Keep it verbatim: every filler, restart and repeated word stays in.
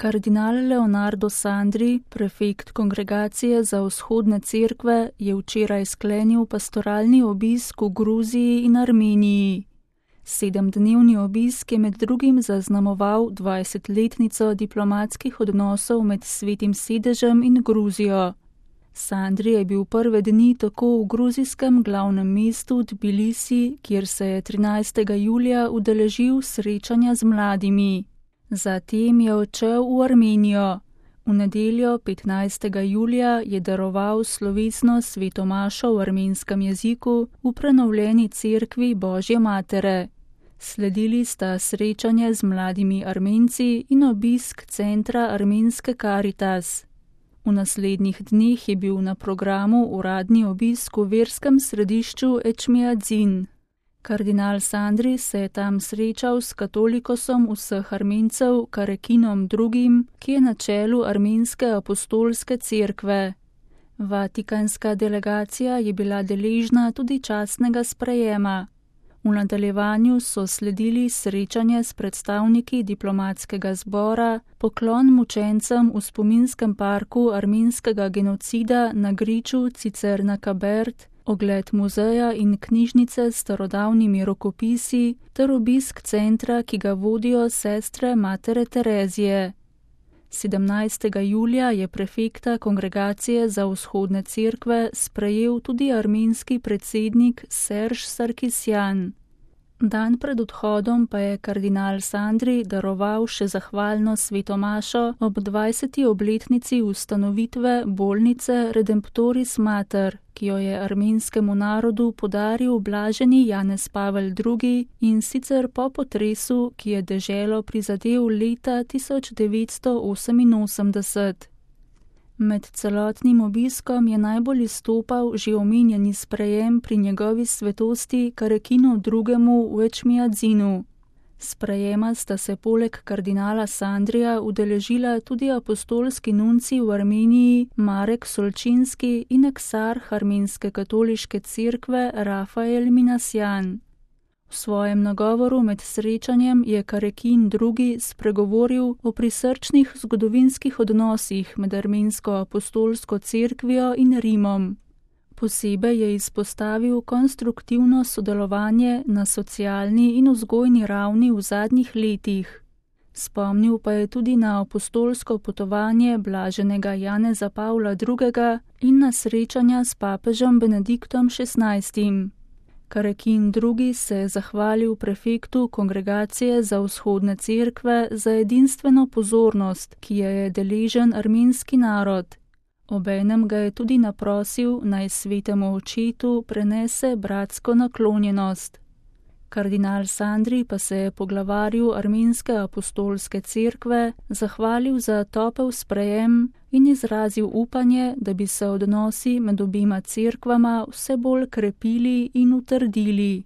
Kardinal Leonardo Sandri, prefekt Kongregacije za vzhodne cerkve, je včeraj sklenil pastoralni obisk v Gruziji in Armeniji. Sedemdnevni obisk je med drugim zaznamoval dvajsetletnico diplomatskih odnosov med Svetim sedežem in Gruzijo. Sandri je bil prve dni tako v gruzijskem glavnem mestu Tbilisi, kjer se je trinajstega julija udeležil srečanja z mladimi. Zatem je odšel v Armenijo. V nedeljo petnajstega julija je daroval slovesno svetomašo v armenskem jeziku v prenovljeni cerkvi Božje matere. Sledili sta srečanje z mladimi Armenci in obisk centra armenske Karitas. V naslednjih dneh je bil na programu uradni obisk v verskem središču Ečmiadzin. Kardinal Sandri se je tam srečal s katolikosom vseh Armencev Karekinom drugim, ki je na čelu armenske apostolske cerkve. Vatikanska delegacija je bila deležna tudi častnega sprejema. V nadaljevanju so sledili srečanje s predstavniki diplomatskega zbora, poklon mučencem v spominskem parku armenskega genocida na griču Cicerna Kabert, ogled muzeja in knjižnice s starodavnimi rokopisi ter obisk centra, ki ga vodijo sestre Matere Terezije. sedemnajstega julija je prefekta Kongregacije za vzhodne cerkve sprejel tudi armenski predsednik Serž Sarkisjan. Dan pred odhodom pa je kardinal Sandri daroval še zahvalno svetomašo ob dvajseti obletnici ustanovitve bolnice Redemptoris Mater, ki jo je armenskemu narodu podaril blaženi Janez Pavel drugi in sicer po potresu, ki je deželo prizadel leta tisoč devetsto oseminosemdeset. Med celotnim obiskom je najbolj izstopal že omenjeni sprejem pri njegovi svetosti Karekinu drugemu v Ečmiadzinu. Sprejema sta se poleg kardinala Sandrija udeležila tudi apostolski nunci v Armeniji Marek Solčinski in eksarh armenske katoliške cerkve Rafael Minasjan. V svojem nagovoru med srečanjem je Karekin drugi spregovoril o prisrčnih zgodovinskih odnosih med armensko apostolsko cerkvijo in Rimom. Posebej je izpostavil konstruktivno sodelovanje na socialni in vzgojni ravni v zadnjih letih. Spomnil pa je tudi na apostolsko potovanje blaženega Janeza Pavla drugega in na srečanja s papežem Benediktom šestnajstim. Karekin drugi se je zahvalil prefektu Kongregacije za vzhodne cerkve za edinstveno pozornost, ki je je deležen armenski narod. Obenem ga je tudi naprosil, naj svetemu očetu prenese bratsko naklonjenost. Kardinal Sandri pa se je poglavarju armenske apostolske cerkve zahvalil za topel sprejem in izrazil upanje, da bi se odnosi med obima cerkvama vse bolj krepili in utrdili.